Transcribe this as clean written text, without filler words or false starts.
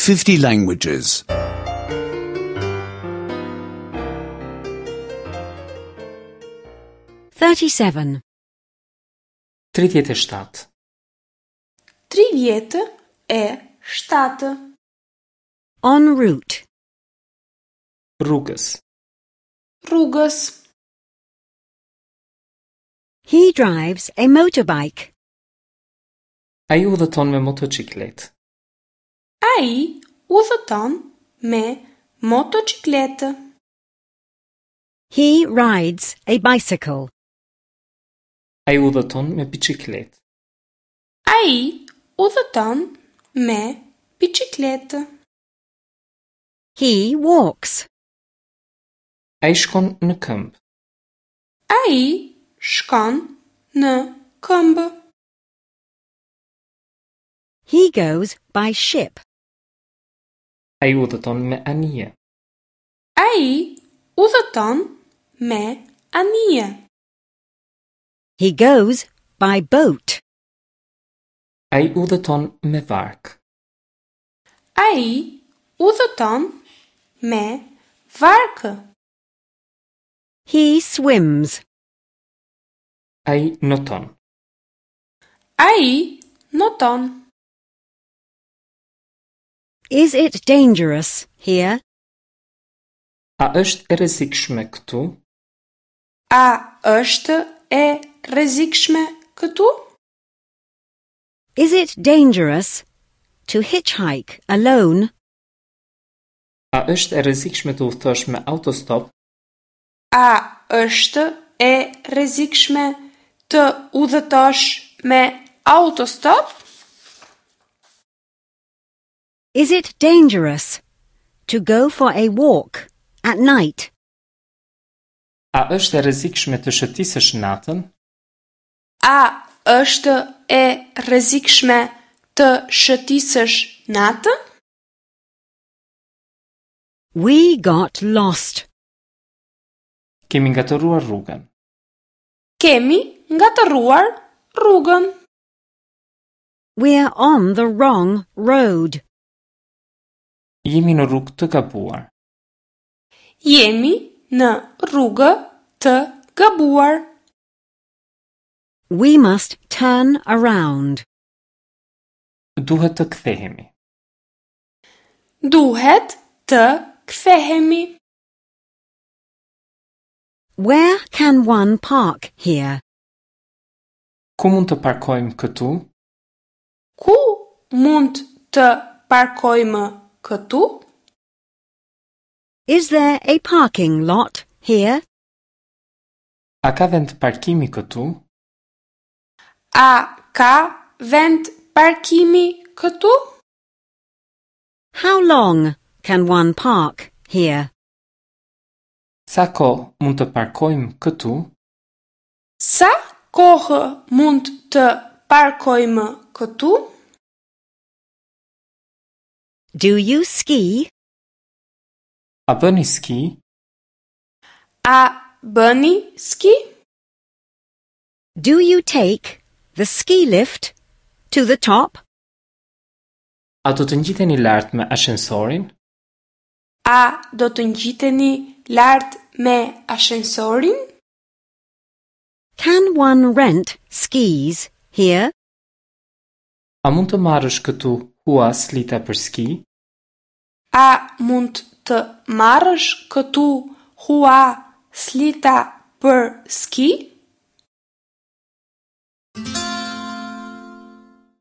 50 languages. 37. 37. 37. En route. Rrugës. Rrugës. He drives a motorbike. Ai udhëton me motoçikletë. Ai udhëton me motoçikletë. He rides a bicycle. Ai udhëton me biçikletë. Ai udhëton me biçikletë. He walks. Ai shkon në këmbë. Ai shkon në këmbë. He goes by ship. Ai udhëton me anije. Ai udhëton me anije. He goes by boat. Ai udhëton me varkë. Ai udhëton me varkë. He swims. Ai noton. Ai noton. Is it dangerous here? A është e rrezikshme këtu? A është e rrezikshme këtu? Is it dangerous to hitchhike alone? A është e rrezikshme të udhëtosh me autostop? A është e rrezikshme të udhëtosh me autostop? Is it dangerous to go for a walk at night? A është e rrezikshme të shëtisësh natën? A është e rrezikshme të shëtisësh natën? We got lost. Kemi ngatërruar rrugën. Kemi ngatërruar rrugën. We're on the wrong road. Jemi në rrugë të gabuar. Jemi në rrugë të gabuar. We must turn around. Duhet të kthehemi. Duhet të kthehemi. Where can one park here? Ku mund të parkojmë këtu? Ku mund të parkojmë këtu? Is there a parking lot here? A ka vend parkimi këtu? A ka vend parkimi këtu? How long can one park here? Sa kohë mund të parkojmë këtu? Sa kohë mund të parkojmë këtu? Do you ski? A bëni ski? A bëni ski? Do you take the ski lift to the top? A do të ngjiteni lart me ashensorin? A do të ngjiteni lart me ashensorin? Can one rent skis here? A mund të marrësh këtu hua slita për ski? A mund të marrësh këtu hua slita për ski?